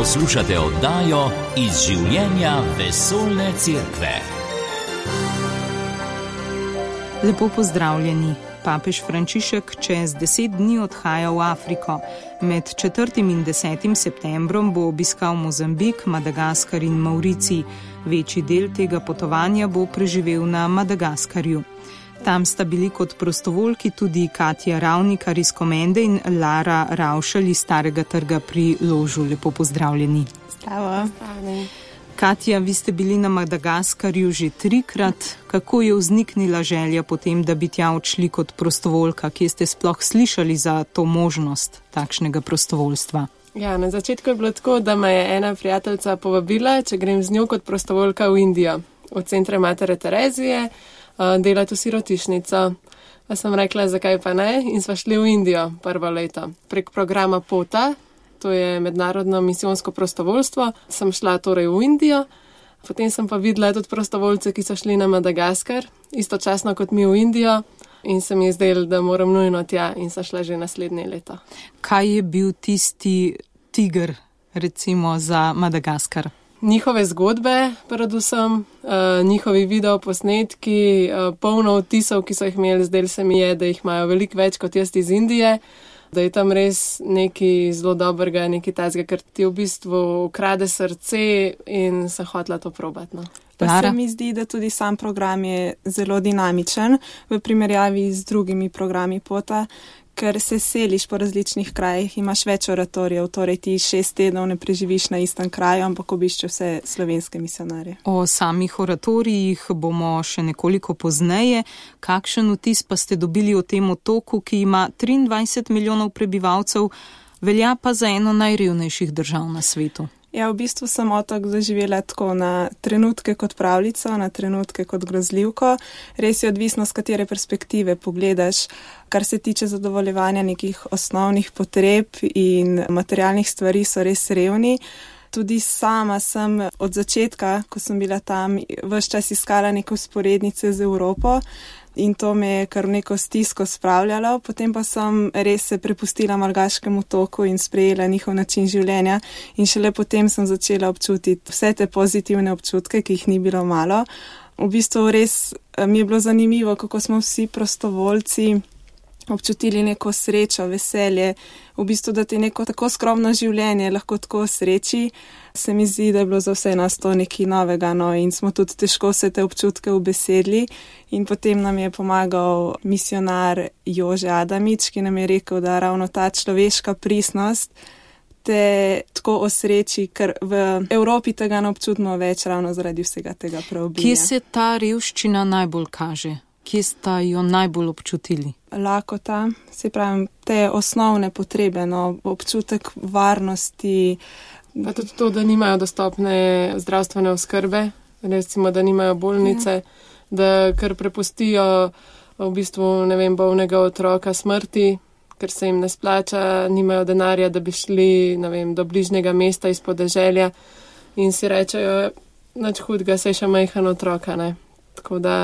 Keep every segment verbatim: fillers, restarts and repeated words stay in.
Poslušate oddajo Iz življenja vesoljne cerkve. Lepo pozdravljeni. Papež Frančišek čez deset dni odhaja v Afriko. Med četrtim in desetim septembrom bo obiskal Mozambik, Madagaskar in Mauricij. Večji del tega potovanja bo preživel na Madagaskarju. Tam sta bili kot prostovoljki tudi Katja Ravnikar iz Komende in Lara Ravšelj iz Starega trga pri Ložu. Lepo pozdravljeni. Zdravo. Katja, vi ste bili na Madagaskarju že trikrat. Kako je vzniknila želja potem, da bi tja odšli kot prostovoljka? Kje ste sploh slišali za to možnost takšnega prostovoljstva? Ja, na začetku je bilo tako, da me je ena prijateljica povabila, če grem z njo kot prostovoljka v Indijo, v centre Matere Terezije, delati v sirotišnico. Pa sem rekla, zakaj pa ne, in sva šli v Indijo prvo leto. Prek programa POTA, to je mednarodno misijonsko prostovoljstvo, sem šla torej v Indijo, potem sem pa videla tudi prostovoljce, ki so šli na Madagaskar, istočasno kot mi v Indijo, in se mi je zdelo, da moram nujno tja, in sem šla že naslednje leto. Kaj je bil tisti tiger, recimo, za Madagaskar? Njihove zgodbe, predvsem, uh, njihovi videoposnetki, uh, polno vtisov, ki so jih imeli, zdelo se mi je, da jih imajo veliko več kot jaz iz Indije, da je tam res nekaj zelo dobrega, nekaj tazga, ker ti v bistvu ukrade srce in sem hotela to probati. No. Pa se mi zdi, da tudi sam program je zelo dinamičen v primerjavi z drugimi programi POTA, ker se seliš po različnih krajih, imaš več oratorijev, torej ti šest tednov ne preživiš na istem kraju, ampak obiščeš vse slovenske misionarje. O samih oratorijih bomo še nekoliko pozneje. Kakšen vtis pa ste dobili o tem otoku, ki ima triindvajset milijonov prebivalcev, velja pa za eno najrevnejših držav na svetu? Ja, v bistvu sem otok doživela tako na trenutke kot pravljico, na trenutke kot grozljivko. Res je odvisno, z katere perspektive pogledaš, kar se tiče zadovoljevanja nekih osnovnih potreb in materialnih stvari, so res revni. Tudi sama sem od začetka, ko sem bila tam, ves čas iskala neke vzporednice z Evropo. In to me je kar neko stisko spravljalo, potem pa sem res se prepustila malgaškemu toku in sprejela njihov način življenja in šele potem sem začela občutiti vse te pozitivne občutke, ki jih ni bilo malo. V bistvu res mi je bilo zanimivo, kako smo vsi prostovoljci občutili neko srečo, veselje, v bistvu, da ti neko tako skromno življenje lahko tako sreči, se mi zdi, da je bilo za vse nas to nekaj novega, no, in smo tudi težko vse te občutke ubesedili in potem nam je pomagal misionar Jože Adamič, ki nam je rekel, da ravno ta človeška pristnost te tako osreči, ker v Evropi tega ne občutimo več ravno zaradi vsega tega preobilja. Kje se ta revščina najbolj kaže? Kje sta jo najbolj občutili? Lakota, se pravim, te osnovne potrebe, no, občutek varnosti. Pa tudi to, da nimajo dostopne zdravstvene oskrbe, recimo, da nimajo bolnice, ja. Da kar prepustijo v bistvu, ne vem, bolnega otroka smrti, ker se jim ne splača, nimajo denarja, da bi šli, ne vem, do bližnjega mesta iz podeželja in si rečejo, nič hudega, saj še majhen otroka, ne. Tako da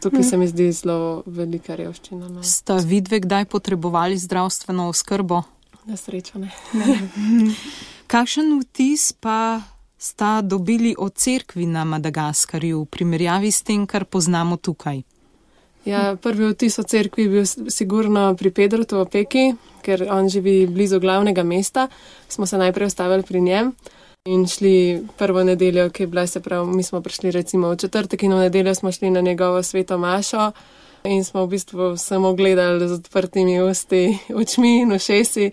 tukaj se mi zdi zelo velika revščina. No. Sta vidve kdaj potrebovali zdravstveno oskrbo? Na srečo ne. Kakšen vtis pa sta dobili o cerkvi na Madagaskarju v primerjavi s tem, kar poznamo tukaj? Ja, prvi vtis o cerkvi je bil sigurno pri Pedrotu v Opeki, ker on živi blizu glavnega mesta. Smo se najprej ustavili pri njem in šli prvo nedeljo, ki je bila, se pravi, mi smo prišli recimo v četrtek in v nedeljo smo šli na njegovo sveto mašo in smo v bistvu samo gledali z odprtimi usti, očmi in ušesi,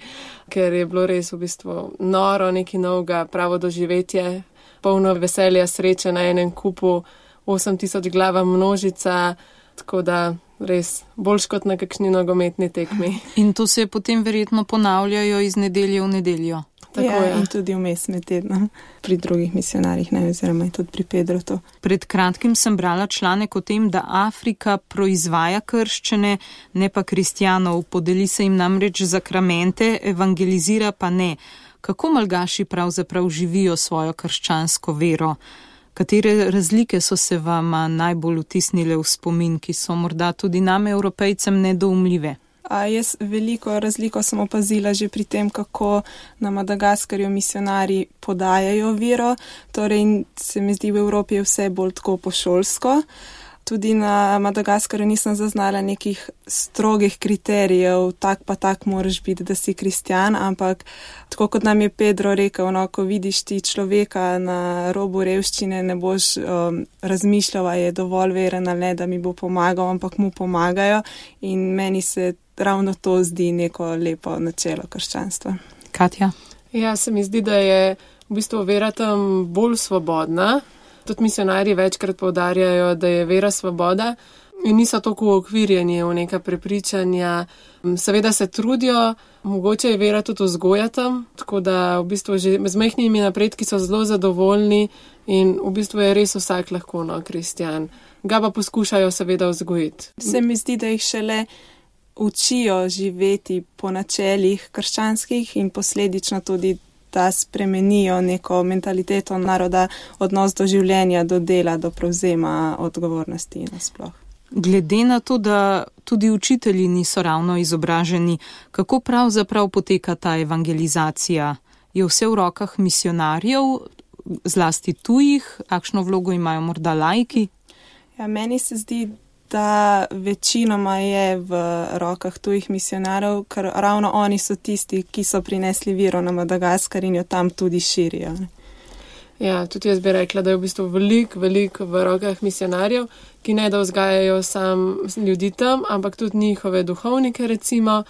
ker je bilo res v bistvu noro, nekaj novega, pravo doživetje, polno veselja, sreče na enem kupu, osem tisoč glava množica, tako da res boljš kot na kakšni nogometni tekmi. In to se potem verjetno ponavljajo iz nedelje v nedeljo. Tako ja, je. In tudi vmes med tednom pri drugih misionarjih, ne, oziroma tudi pri Pedrotu. Pred kratkim sem brala članek o tem, da Afrika proizvaja krščane, ne pa kristjanov. Podeli se jim namreč zakramente, evangelizira pa ne. Kako malgaši pravzaprav živijo svojo krščansko vero? Katere razlike so se vam najbolj vtisnile v spomin, ki so morda tudi nam, Evropejcem, nedoumljive? A jaz veliko razliko sem opazila že pri tem, kako na Madagaskarju misionarji podajajo vero, torej se mi zdi v Evropi je vse bolj tako pošolsko. Tudi na Madagaskarju nisem zaznala nekih strogih kriterijev, tak pa tak moraš biti, da si kristjan, ampak tako kot nam je Pedro rekel, no, ko vidiš ti človeka na robu revščine, ne boš um, razmišljal, a je dovolj veren ali ne, da mi bo pomagal, ampak mu pomagajo in meni se ravno to zdi neko lepo načelo krščanstva. Katja? Ja, se mi zdi, da je v bistvu vera tam bolj svobodna. Tudi misionarji večkrat poudarjajo, da je vera svoboda in niso toliko okvirjeni v neka prepričanja. Seveda se trudijo, mogoče je vera tudi vzgoja tam, tako da v bistvu že z majhnimi napredki so zelo zadovoljni in v bistvu je res vsak lahko no, kristjan. Ga pa poskušajo seveda vzgojiti. Se mi zdi, da jih šele učijo živeti po načelih krščanskih in posledično tudi da spremenijo neko mentaliteto naroda, odnos do življenja, do dela, do prevzema odgovornosti nasploh. Glede na to, da tudi učitelji niso ravno izobraženi, kako pravzaprav poteka ta evangelizacija? Je vse v rokah misionarjev, zlasti tujih, kakšno vlogo imajo morda laiki? Ja, meni se zdi, da večinoma je v rokah tujih misionarjev, ker ravno oni so tisti, ki so prinesli vero na Madagaskar in jo tam tudi širijo. Ne? Ja, tudi jaz bi rekla, da je v bistvu veliko, veliko v rokah misionarjev, ki ne da vzgajajo sam ljudi tam, ampak tudi njihove duhovnike recimo.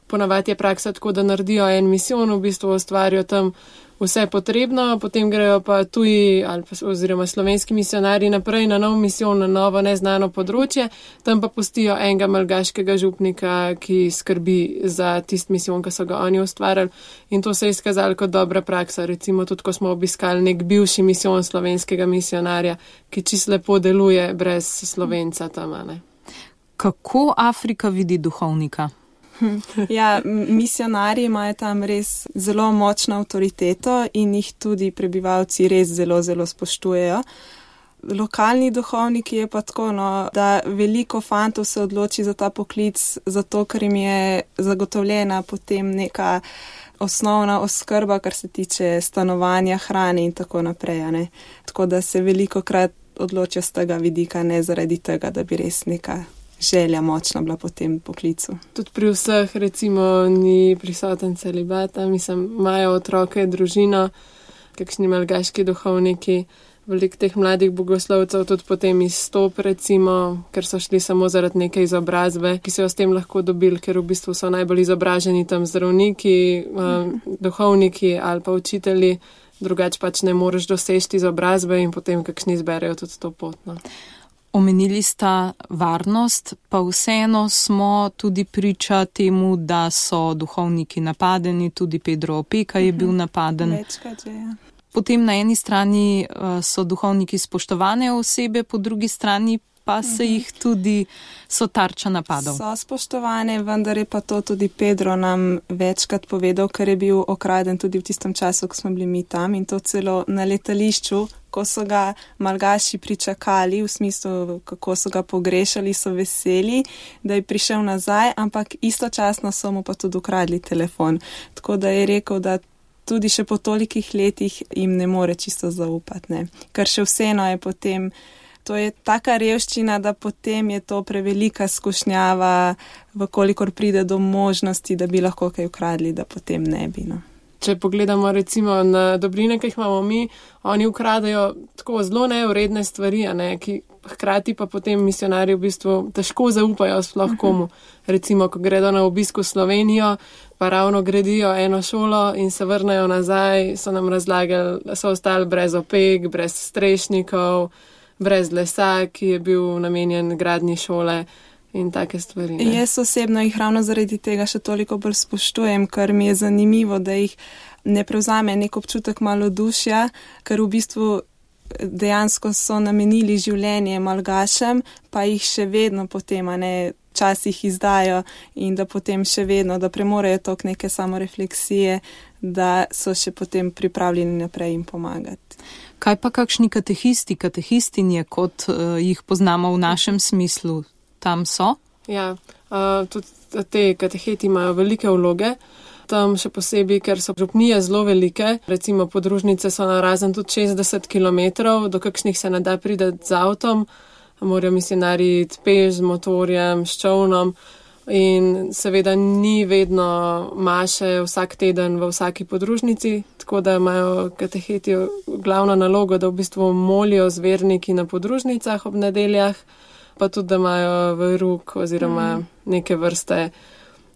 Ponavadi je praksa tako, da naredijo en misijon, v bistvu ustvarijo tam vse potrebno, potem grejo pa tuji ali pa, oziroma slovenski misionarji naprej na nov misijon, na novo neznano področje, tam pa pustijo enega malgaškega župnika, ki skrbi za tist misijon, ki so ga oni ustvarjali in to se je izkazalo kot dobra praksa. Recimo tudi, ko smo obiskali nek bivši misijon slovenskega misionarja, ki čisto lepo deluje brez Slovenca tam, ne. Kako Afrika vidi duhovnika? Ja, misionarji imajo tam res zelo močno avtoriteto in jih tudi prebivalci res zelo, zelo spoštujejo. Lokalni duhovniki je pa tako, no, da veliko fantov se odloči za ta poklic, zato ker jim je zagotovljena potem neka osnovna oskrba, kar se tiče stanovanja, hrane in tako naprej. Ne? Tako da se veliko krat odločijo z tega vidika, ne zaradi tega, da bi res neka želja močna bila po tem poklicu. Tudi pri vseh recimo ni prisoten celibata, mislim, imajo otroke, družino, kakšni malgaški duhovniki, veliko teh mladih bogoslovcev tudi potem izstop recimo, ker so šli samo zaradi neke izobrazbe, ki so jo s tem lahko dobili, ker v bistvu so najbolj izobraženi tam zdravniki, um, duhovniki ali pa učitelji, drugače pač ne moreš doseči izobrazbe in potem kakšni izberejo tudi to pot. No. Omenili sta varnost, pa vseeno smo tudi priča temu, da so duhovniki napadeni, tudi Pedro Opeka je bil napaden. Večkrat že, ja. Potem na eni strani so duhovniki spoštovane osebe, po drugi strani pa se jih tudi so tarča napadov. So spoštovane, vendar je pa to tudi Pedro nam večkrat povedal, ker je bil okraden tudi v tistem času, ko smo bili mi tam in to celo na letališču, ko so ga malgaši pričakali, v smislu, kako so ga pogrešali, so veseli, da je prišel nazaj, ampak istočasno so mu pa tudi ukradli telefon. Tako da je rekel, da tudi še po tolikih letih jim ne more čisto zaupati, ne. Ker še vseeno je potem, to je taka revščina, da potem je to prevelika skušnjava, vkolikor pride do možnosti, da bi lahko kaj ukradli, da potem ne bi, no. Če pogledamo recimo na dobrine, ki jih imamo mi, oni ukradajo tako zelo nevredne stvari, a ne, ki hkrati pa potem misionarji v bistvu težko zaupajo sploh komu. Recimo, ko gredo na obisk v Slovenijo, pa ravno gradijo eno šolo in se vrnejo nazaj, so nam razlagali, da so ostali brez opek, brez strešnikov, brez lesa, ki je bil namenjen gradnji šole. In take stvari. Ne? Jaz osebno jih ravno zaradi tega še toliko bolj spoštujem, ker mi je zanimivo, da jih ne prevzame nek občutek malodušja, ker v bistvu dejansko so namenili življenje malgašem, pa jih še vedno potem, a ne, časih izdajo in da potem še vedno, da premorejo tok neke samorefleksije, da so še potem pripravljeni naprej jim pomagati. Kaj pa kakšni katehisti, katehistinje, kot uh, jih poznamo v našem smislu? Tam so? Ja, uh, tudi te kateheti imajo velike vloge. Tam še posebej, ker so župnije zelo velike, recimo podružnice so narazen tudi šestdeset kilometrov, do kakšnih se ne da prideti z avtom, morajo misionarji iti peš z motorjem, s čovnom in seveda ni vedno maše vsak teden v vsaki podružnici, tako da imajo kateheti glavno nalogo, da v bistvu molijo zverniki na podružnicah ob nedeljah, pa tudi, da imajo veruk oziroma mm. neke vrste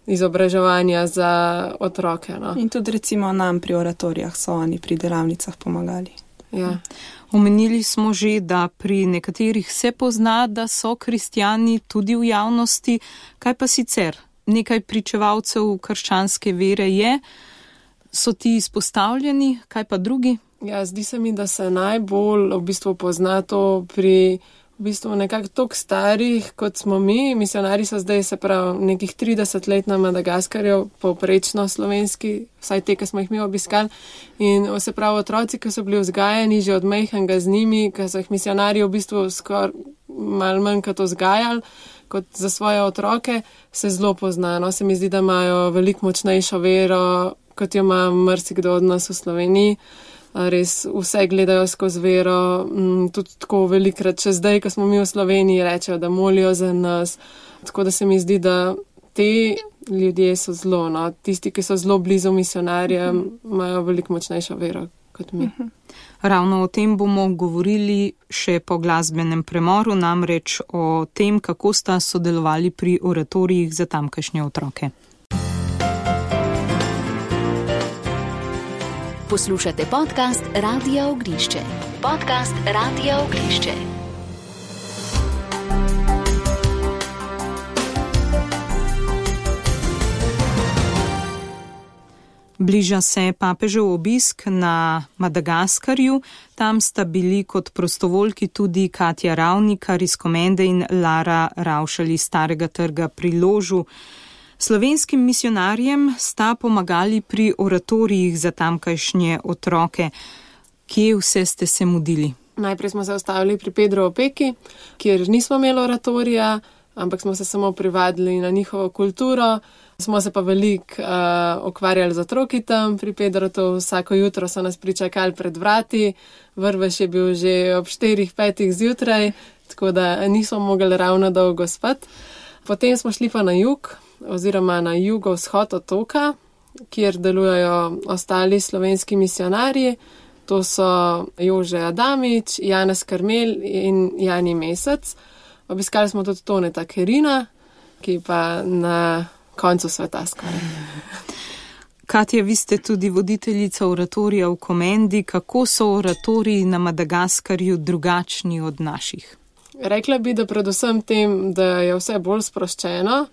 izobraževanja za otroke. No. In tudi recimo nam pri oratorijah so oni pri delavnicah pomagali. Ja. Omenili smo že, da pri nekaterih se pozna, da so kristjani tudi v javnosti. Kaj pa sicer? Nekaj pričevalcev krščanske vere je. So ti izpostavljeni? Kaj pa drugi? Ja, zdi se mi, da se najbolj v bistvu pozna to pri v bistvu nekako toliko starih, kot smo mi. Misionari so zdaj, se pravi, nekih trideset let na Madagaskarju, povprečno slovenski, vsaj te, ki smo jih mi obiskali. In se pravi, otroci, ki so bili vzgajani že od majhnega z njimi, ki so jih misionarji v bistvu skoraj malo manj kot vzgajali, kot za svoje otroke, se zelo poznano. Se mi zdi, da imajo veliko močnejšo vero, kot jo ima marsikdo od nas v Sloveniji. Res vse gledajo skozi vero, tudi tako velikrat, še zdaj, ko smo mi v Sloveniji, rečejo, da molijo za nas. Tako da se mi zdi, da te ljudje so zelo, no, tisti, ki so zelo blizu misionarjem, imajo veliko močnejšo vero kot mi. Ravno o tem bomo govorili še po glasbenem premoru, namreč o tem, kako sta sodelovali pri oratorijih za tamkajšnje otroke. Poslušate podcast Radia Ognišče. Podcast Radia Ognišče. Bliža se papežev obisk na Madagaskarju. Tam sta bili kot prostovoljki tudi Katja Ravnikar iz Komende in Lara Ravšalj iz Starega trga pri Ložu. Slovenskim misionarjem sta pomagali pri oratorijih za tamkajšnje otroke. Kje vse ste se mudili? Najprej smo se ustavili pri Pedro Opeki, kjer nismo imeli oratorija, ampak smo se samo privadili na njihovo kulturo. Smo se pa veliko uh, ukvarjali z otroki tam pri Pedrotu. Vsako jutro so nas pričakali pred vrati. Vrvež je bil že ob štirih, petih zjutraj, tako da nismo mogli ravno dolgo spati. Potem smo šli pa na jug, oziroma na jugovzhod otoka, kjer delujejo ostali slovenski misionarji. To so Jože Adamič, Janez Karmel in Jani Mesec. Obiskali smo tudi Toneta Kerina, ki pa na koncu sveta skoraj. Katja, vi ste tudi voditeljica oratorija v Komendi. Kako so oratoriji na Madagaskarju drugačni od naših? Rekla bi, da predvsem tem, da je vse bolj sproščeno,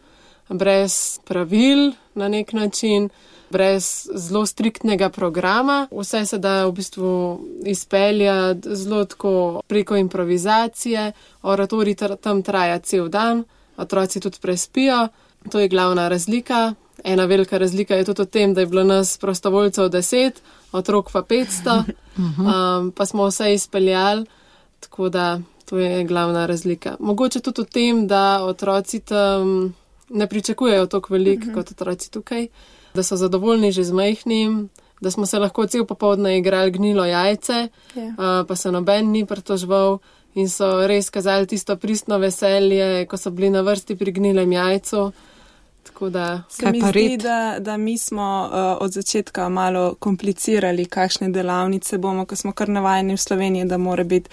brez pravil na nek način, brez zelo striktnega programa. Vse se da v bistvu izpeljati zelo tako preko improvizacije. Oratorij tam traja cel dan, otroci tudi prespijo. To je glavna razlika. Ena velika razlika je tudi v tem, da je bilo nas prostovoljcev deset, otrok pa petsto, um, pa smo vse izpeljali, tako da to je glavna razlika. Mogoče tudi v tem, da otroci tam ne pričakujejo toliko veliko uh-huh. kot otroci tukaj, da so zadovoljni že z majhnim, da smo se lahko cel popoldne igrali gnilo jajce, yeah. uh, pa se noben ni pritoževal in so res kazali tisto pristno veselje, ko so bili na vrsti pri gnilem jajcu. Tako da se mi zdi, da, da mi smo uh, od začetka malo komplicirali, kakšne delavnice bomo, ko smo kar navajeni v Sloveniji, da mora biti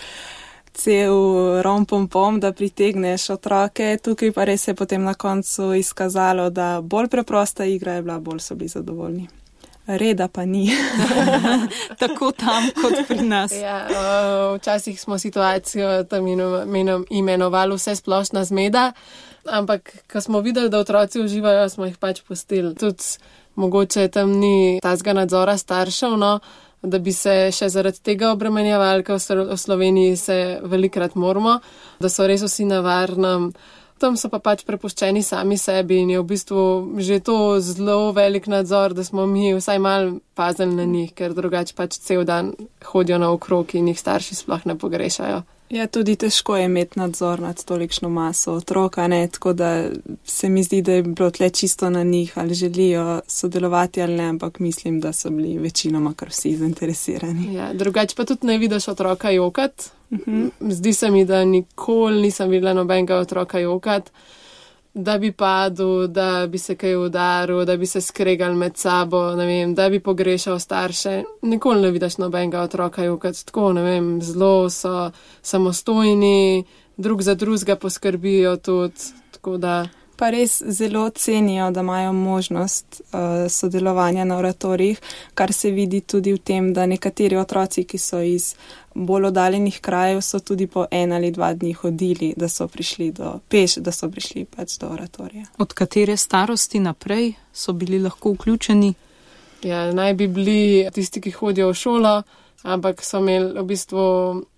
cel rom-pom-pom, da pritegneš otroke. Tukaj pa res je potem na koncu izkazalo, da bolj preprosta igra je bila, bolj so bili zadovoljni. Reda pa ni. Tako tam kot pri nas. Ja, včasih smo situacijo tam imenovali vse splošna zmeda, ampak ko smo videli, da otroci uživajo, smo jih pač pustili. Tudi mogoče tam ni tazga nadzora staršev, no, da bi se še zaradi tega obremenjevali, ker v Sloveniji se velikrat moramo, da so res vsi na varnem. Tam so pa pač prepuščeni sami sebi in je v bistvu že to zelo velik nadzor, da smo mi vsaj malo pazili na njih, ker drugače pač cel dan hodijo naokrog in jih starši sploh ne pogrešajo. Ja, tudi težko je imeti nadzor nad tolikšno maso otroka, ne, tako da se mi zdi, da je bilo tle čisto na njih, ali želijo sodelovati ali ne, ampak mislim, da so bili večinoma kar vsi zainteresirani. Ja, drugače pa tudi ne vidiš otroka jokat. Uh-huh. Zdi se mi, da nikoli nisem videla nobenega otroka jokat, da bi padel, da bi se kaj udaril, da bi se skregal med sabo, ne vem, da bi pogrešal starše. Nikoli ne vidiš nobenega otroka jokat, tako, ne vem, zelo so samostojni, drug za drugega poskrbijo tudi, tako da... Pa res zelo cenijo, da imajo možnost uh, sodelovanja na oratorijih, kar se vidi tudi v tem, da nekateri otroci, ki so iz bolj oddaljenih krajev, so tudi po en ali dva dni hodili, da so prišli do peš, da so prišli pač do oratorija. Od katere starosti naprej so bili lahko vključeni? Ja, naj bi bili tisti, ki hodijo v šolo, ampak so imeli v bistvu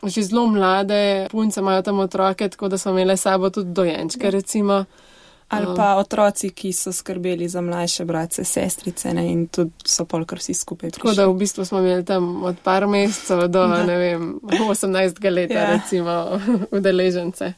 že zelo mlade, punce imajo tam otroke, tako da so imeli sabo tudi dojenčke, recimo. Ali pa otroci, ki so skrbeli za mlajše bratce, sestrice, ne, in tudi so polkar vsi skupaj prišli. Tako da v bistvu smo imeli tam od par mesecev do, da. ne vem, osemnajstega leta, ja. recimo, udeležence.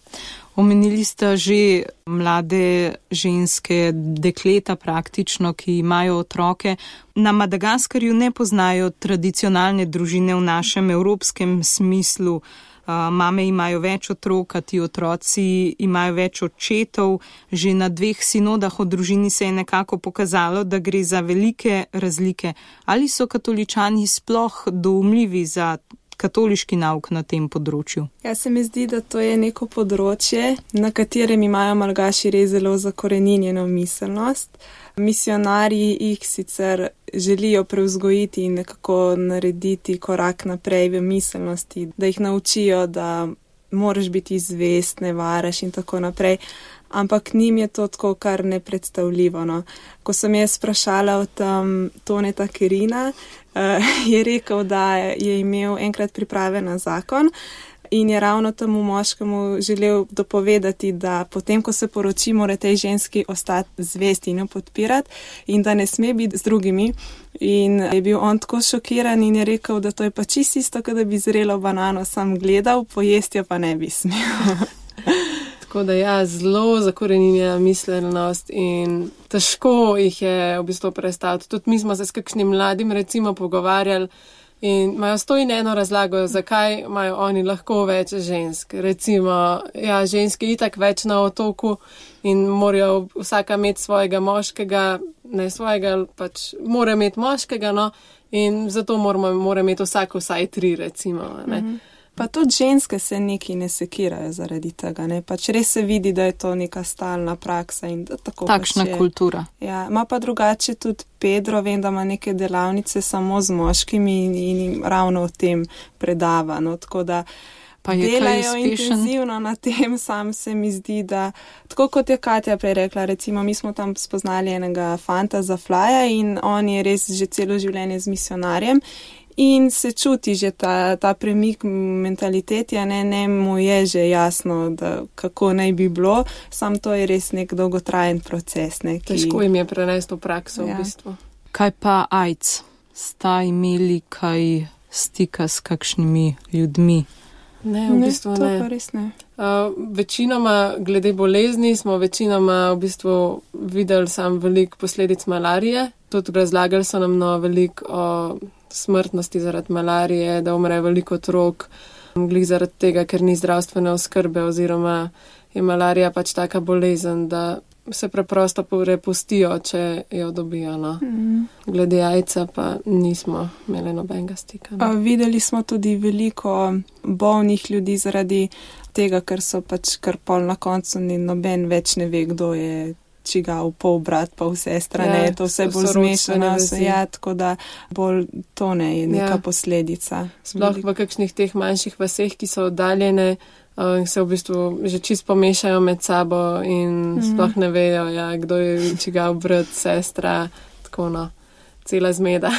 Omenili ste že mlade ženske, dekleta praktično, ki imajo otroke. Na Madagaskarju ne poznajo tradicionalne družine v našem evropskem smislu. Uh, mame imajo več otrok, a ti otroci imajo več očetov. Že na dveh sinodah o družini se je nekako pokazalo, da gre za velike razlike. Ali so katoličani sploh doumljivi za katoliški nauk na tem področju? Ja, se mi zdi, da to je neko področje, na katerem imajo Malgaši res zelo zakoreninjeno miselnost. Misionarji jih sicer želijo prevzgojiti in nekako narediti korak naprej v miselnosti, da jih naučijo, da moraš biti zvest, ne varaš in tako naprej. Ampak njim je to tako kar nepredstavljivo. No. Ko sem jaz sprašala o tem Toneta Kerina, uh, je rekel, da je imel enkrat priprave na zakon in je ravno temu moškemu želel dopovedati, da potem, ko se poroči, mora tej ženski ostati zvesti in jo podpirati in da ne sme biti z drugimi. In je bil on tako šokiran in je rekel, da to je pa čisto isto, kot da bi zrelo banano sam gledal, pojesti jo pa ne bi smel. Tako da ja, zelo zakoreninjena miselnost in težko jih je v bistvu predstaviti. Tudi mi smo se s kakšnim mladim recimo pogovarjali in imajo sto in eno razlago, zakaj imajo oni lahko več žensk. Recimo, ja, ženske itak več na otoku in morajo vsaka imeti svojega moškega, ne svojega, pač mora imeti moškega, no, in zato moramo, mora imeti vsako vsaj tri, recimo, ne. Mm-hmm. Pa tudi ženske se neki ne sekirajo zaradi tega, ne, pač res se vidi, da je to neka stalna praksa in da tako takšna pač je. Kultura. Ja, ima pa drugače tudi Pedro, vem, da ima neke delavnice samo z moškimi in, in ravno o tem predava, no, tako da pa je delajo intenzivno na tem, sam se mi zdi, da tako kot je Katja prej rekla, recimo mi smo tam spoznali enega fanta za Flya in on je res že celo življenje z misionarjem. In se čuti že ta, ta premik mentaliteti, a ne, ne mu je že jasno, da kako naj bi bilo, sam to je res nek dolgotrajen proces. Ne, ki... Težko jim je prenesti v prakso, ja. V bistvu. Kaj pa AIDS? Sta imeli kaj stika s kakšnimi ljudmi? Ne, v bistvu ne. ne. To pa res ne. Uh, večinoma, glede bolezni, smo večinoma v bistvu videli sam veliko posledic malarije. Tudi razlagali so nam no veliko o smrtnosti zaradi malarije, da umre veliko otrok, glih zaradi tega, ker ni zdravstvene oskrbe oziroma je malarija pač taka bolezen, da se preprosto prepustijo, če jo dobijo. No. Mm. Glede jajca pa nismo imeli nobenega stika. No. A, videli smo tudi veliko bolnih ljudi zaradi tega, ker so pač kar pol na koncu ni noben več ne ve, kdo je čigav pol brat, pol sestra, ja, ne, to vse bolj zmešano, vse ja, tako da bolj to ne je neka ja. posledica. Sploh v kakšnih teh manjših vaseh, ki so oddaljene, uh, se v bistvu že čist pomešajo med sabo in mm. sploh ne vejo, ja, kdo je čigav brat, sestra, tako no, cela zmeda.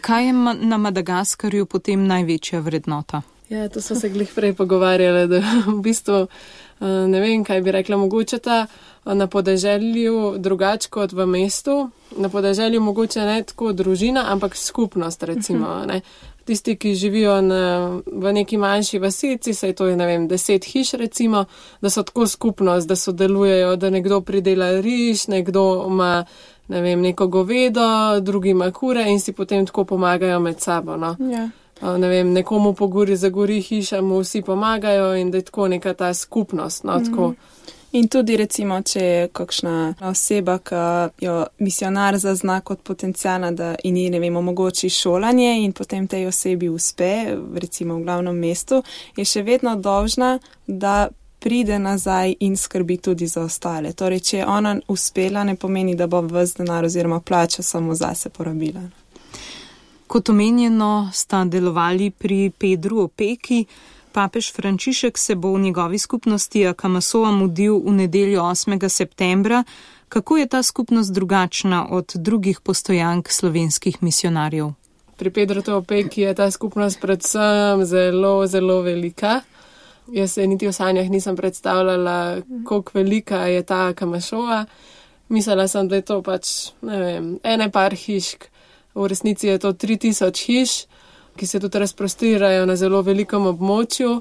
Kaj je ma- na Madagaskarju potem največja vrednota? Ja, to so se glih prej pogovarjali, da v bistvu ne vem, kaj bi rekla, mogoče ta na podeželju drugače kot v mestu. Na podeželju mogoče ne tako družina, ampak skupnost, recimo. Ne. tisti, ki živijo na, v neki manjši vasici, saj to je, ne vem, deset hiš recimo, da so tako skupnost, da sodelujejo, da nekdo pridela riž, nekdo ima, ne vem, neko govedo, drugi ima kure in si potem tako pomagajo med sabo, no. Ja. Ne vem, nekomu pogori zagori hiša, mu vsi pomagajo in da je tako neka ta skupnost, no, tako. Mm. In tudi recimo, če je kakšna oseba, ki jo misionar zazna kot potencijalna, da in ji, ne vem, omogoči šolanje in potem tej osebi uspe, recimo v glavnem mestu, je še vedno dolžna, da pride nazaj in skrbi tudi za ostale. Torej, če je ona uspela, ne pomeni, da bo ves denar oziroma plača samo zase porabila. Kot omenjeno, sta delovali pri Pedru Opeki. Papež Frančišek se bo v njegovi skupnosti Akamasoa mudil v nedeljo osmega septembra. Kako je ta skupnost drugačna od drugih postojank slovenskih misionarjev? Pri Pedru Opeki je ta skupnost predvsem zelo, zelo velika. Jaz se niti v sanjah nisem predstavljala, koliko velika je ta Akamasoa. Mislila sem, da je to pač, ne vem, ene par hišk. V resnici je to tri tisoč hiš, ki se tudi razprostirajo na zelo velikom območju,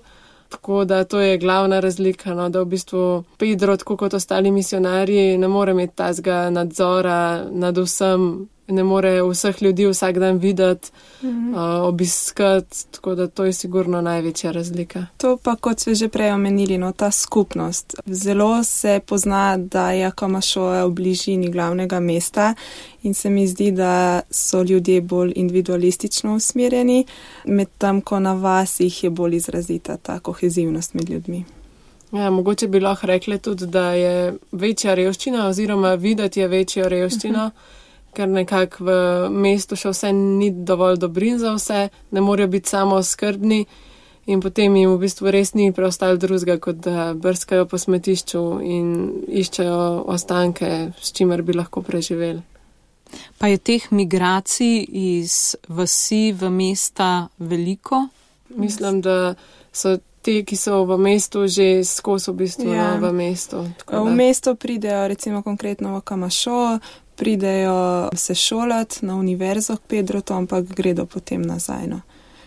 tako da to je glavna razlika, no, da v bistvu Pedro, tako kot ostali misionarji, ne more imeti tazga nadzora nad vsem, ne more vseh ljudi vsak dan videti, mm-hmm. uh, obiskati, tako da to je sigurno največja razlika. To pa, kot sve že prej omenili, no, ta skupnost. Zelo se pozna, da je Akamasoa v bližini glavnega mesta in se mi zdi, da so ljudje bolj individualistično usmerjeni, medtem ko na vasih je bolj izrazita ta kohezivnost med ljudmi. Ja, mogoče bi lahko rekli tudi, da je večja revščina oziroma videti je večjo revščino, uh-huh. ker nekako v mestu še vse ni dovolj dobrin za vse, ne morejo biti samo skrbni in potem jim v bistvu res ni preostalo drugega, kot da brskajo po smetišču in iščejo ostanke, s čimer bi lahko preživeli. Pa je teh migracij iz vasi v mesta veliko? Mislim, da so te, ki so v mestu, že skozi v bistvu ja. v mestu. V mesto pridejo recimo konkretno v Akamasoa, pridejo se šolati na univerzo k Pedrotu, ampak gredo potem nazaj. No.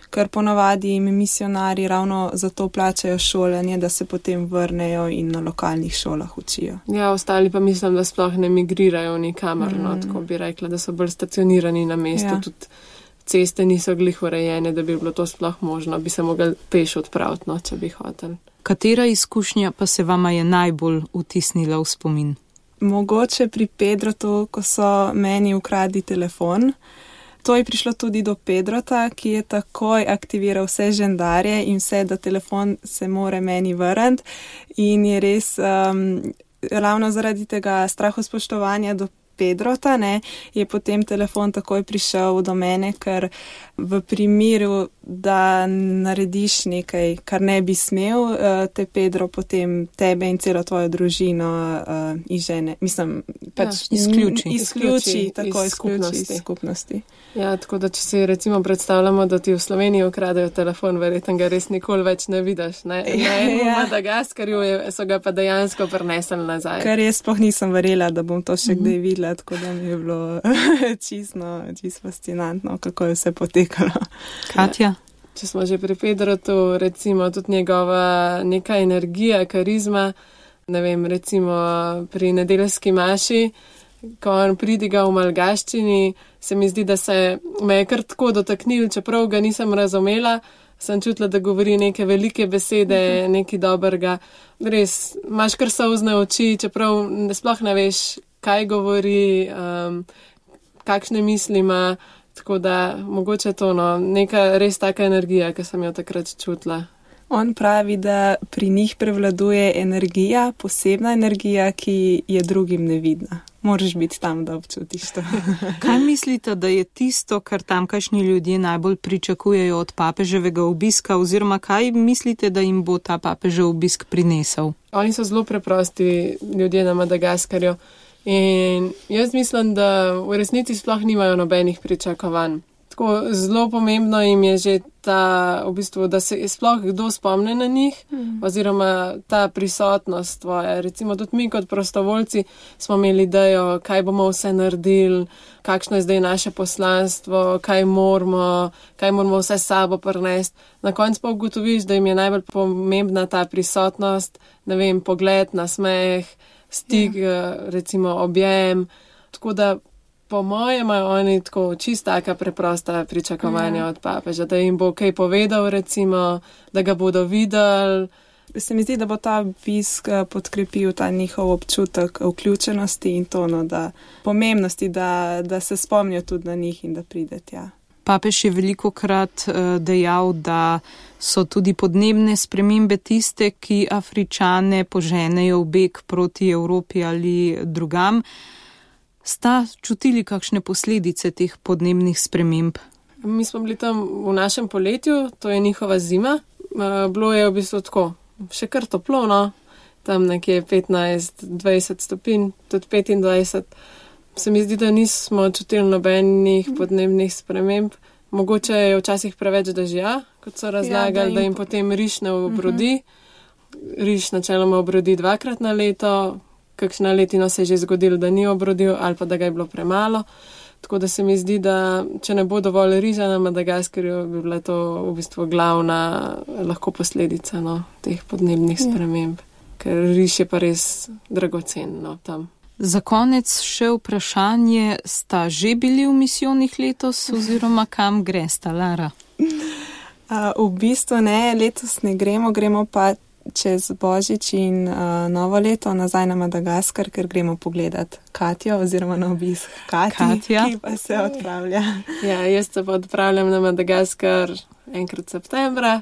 Ker ponavadi jim misionari ravno zato plačajo šolanje, da se potem vrnejo in na lokalnih šolah učijo. Ja, ostali pa mislim, da sploh ne migrirajo nikamor, mm. no, tako bi rekla, da so bolj stacionirani na mestu. Ja. Tudi ceste niso glih urejene, da bi bilo to sploh možno, bi se mogli peš odpraviti, no, če bi hoteli. Katera izkušnja pa se vama je najbolj vtisnila v spomin? Mogoče pri Pedrotu, ko so meni ukradli telefon. To je prišlo tudi do Pedrota, ki je takoj aktiviral vse žendarje in vse, da telefon se more meni vrniti. In je res um, ravno zaradi tega strahospoštovanja do Pedrota, ne, je potem telefon takoj prišel do mene, ker v primeru, da narediš nekaj, kar ne bi smel, te Pedro potem tebe in celo tvojo družino uh, izžene. Mislim, pač ja, izključi. Izključi, tako iz skupnosti. izključi skupnosti. Ja, tako da če si recimo predstavljamo, da ti v Sloveniji ukradajo telefon, verjetno ga res nikoli več ne vidiš. Ne? Na enem ja. Madagaskarju so ga pa dejansko prinesli nazaj. Kar jaz sploh nisem verjela, da bom to še mm-hmm. kdaj videla, tako da mi je bilo čisto, čisto fascinantno, kako je vse potekalo. Katja? Če smo že pri Pedrotu, recimo tudi njegova neka energija, karizma, ne vem, recimo pri nedeljski maši, ko on pridiga v malgaščini, se mi zdi, da se me je kar tako dotaknil, čeprav ga nisem razumela, sem čutila, da govori neke velike besede, uh-huh. nekaj dobrega. Res, imaš kar solzne oči, čeprav sploh ne veš, kaj govori, um, kakšne misli ima, tako da mogoče to, no, neka res taka energija, ki sem jo takrat čutila. On pravi, da pri njih prevladuje energija, posebna energija, ki je drugim nevidna. Moraš biti tam, da občutiš to. Kaj mislite, da je tisto, kar tamkajšnji ljudje najbolj pričakujejo od papeževega obiska, oziroma kaj mislite, da jim bo ta papežev obisk prinesel? Oni so zelo preprosti ljudje na Madagaskarju. In jaz mislim, da v resnici sploh nimajo nobenih pričakovanj. Tako zelo pomembno jim je že ta, v bistvu, da se sploh kdo spomne na njih, mm. oziroma ta prisotnost tvoja. Recimo tudi mi kot prostovoljci smo imeli idejo, kaj bomo vse naredili, kakšno je zdaj naše poslanstvo, kaj moramo, kaj moramo vse s sabo prinesti. Na koncu pa ugotoviš, da jim je najbolj pomembna ta prisotnost, ne vem, pogled, nasmeh, stik, yeah. recimo objem. Tako da po mojem imajo oni tako čist taka preprosta pričakovanja ja. od papeža, da jim bo kaj povedal, recimo, da ga bodo videli. Se mi zdi, da bo ta obisk podkrepil ta njihov občutek vključenosti in to, no, da pomembnosti, da, da se spomnijo tudi na njih in da pride tja. Papež je velikokrat dejal, da so tudi podnebne spremembe tiste, ki Afričane poženejo v beg proti Evropi ali drugam. Sta čutili kakšne posledice teh podnebnih sprememb? Mi smo bili tam v našem poletju, to je njihova zima. Bilo je v bistvu tako, še kar toplo, no? Tam nekje petnajst dvajset stopinj, tudi petindvajset. Se mi zdi, da nismo čutili nobenih podnebnih sprememb. Mogoče je včasih preveč dežja, kot so razlagali, ja, da, jim... da jim potem riž ne obrodi. Uh-huh. Riž načeloma obrodi dvakrat na leto. Kakšna letino se je že zgodilo, da ni obrodil ali pa da ga je bilo premalo. Tako da se mi zdi, da če ne bo dovolj riža na Madagaskarju, bi bila to v bistvu glavna lahko posledica, no, teh podnebnih sprememb. Ker riž je pa res dragocen, no, tam. Za konec še vprašanje, sta že bili v misijonih letos oziroma kam gresta, Lara? Uh, v bistvu ne, letos ne gremo, gremo pa čez Božič in uh, novo leto nazaj na Madagaskar, ker gremo pogledat Katjo oziroma na obisk Kati, Katja. Ki pa se odpravlja. Ja, jaz se pa odpravljam na Madagaskar enkrat septembra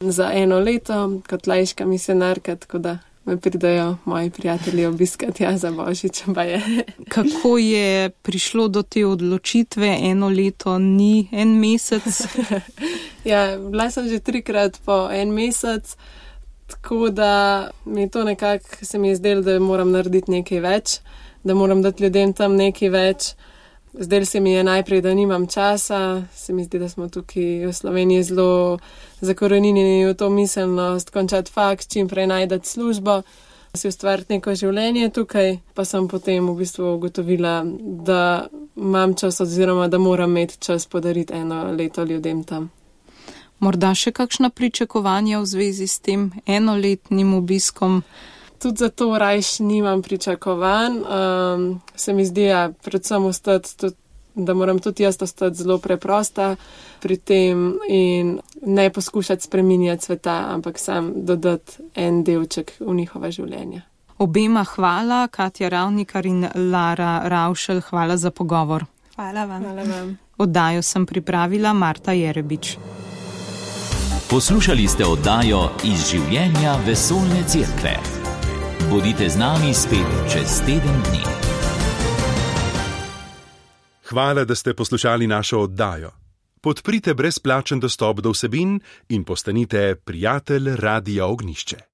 za eno leto kot laiška misionarka, tako da me pridajo moji prijatelji obiskati ja, za Božič. Pa je. Kako je prišlo do te odločitve? Eno leto ni en mesec? Ja, bila sem že trikrat po en mesec. Tako da mi je to nekako, se mi je zdelo, da moram narediti nekaj več, da moram dati ljudem tam nekaj več. Zdelo se mi je najprej, da nimam časa, se mi zdi, da smo tukaj v Sloveniji zelo zakorenjeni v to miselnost, končati faks, čim prej najdati službo, si ustvariti neko življenje tukaj, pa sem potem v bistvu ugotovila, da imam čas oziroma da moram imeti čas podariti eno leto ljudem tam. Morda še kakšna pričakovanja v zvezi s tem enoletnim obiskom? Tudi zato rajš nimam pričakovanj. Um, se mi zdi, ja, predvsem ostati, tudi, da moram tudi jaz ostati zelo preprosta pri tem in ne poskušati spreminjati sveta, ampak sam dodati en delček v njihova življenja. Obema hvala, Katja Ravnikar in Lara Ravšelj, hvala za pogovor. Hvala vam. Hvala vam. Oddajo sem pripravila Marta Jerebič. Poslušali ste oddajo Iz življenja vesoljne cerkve. Bodite z nami spet čez teden dni. Hvala, da ste poslušali našo oddajo. Podprite brezplačen dostop do vsebin in postanite prijatelj Radia Ognjišče.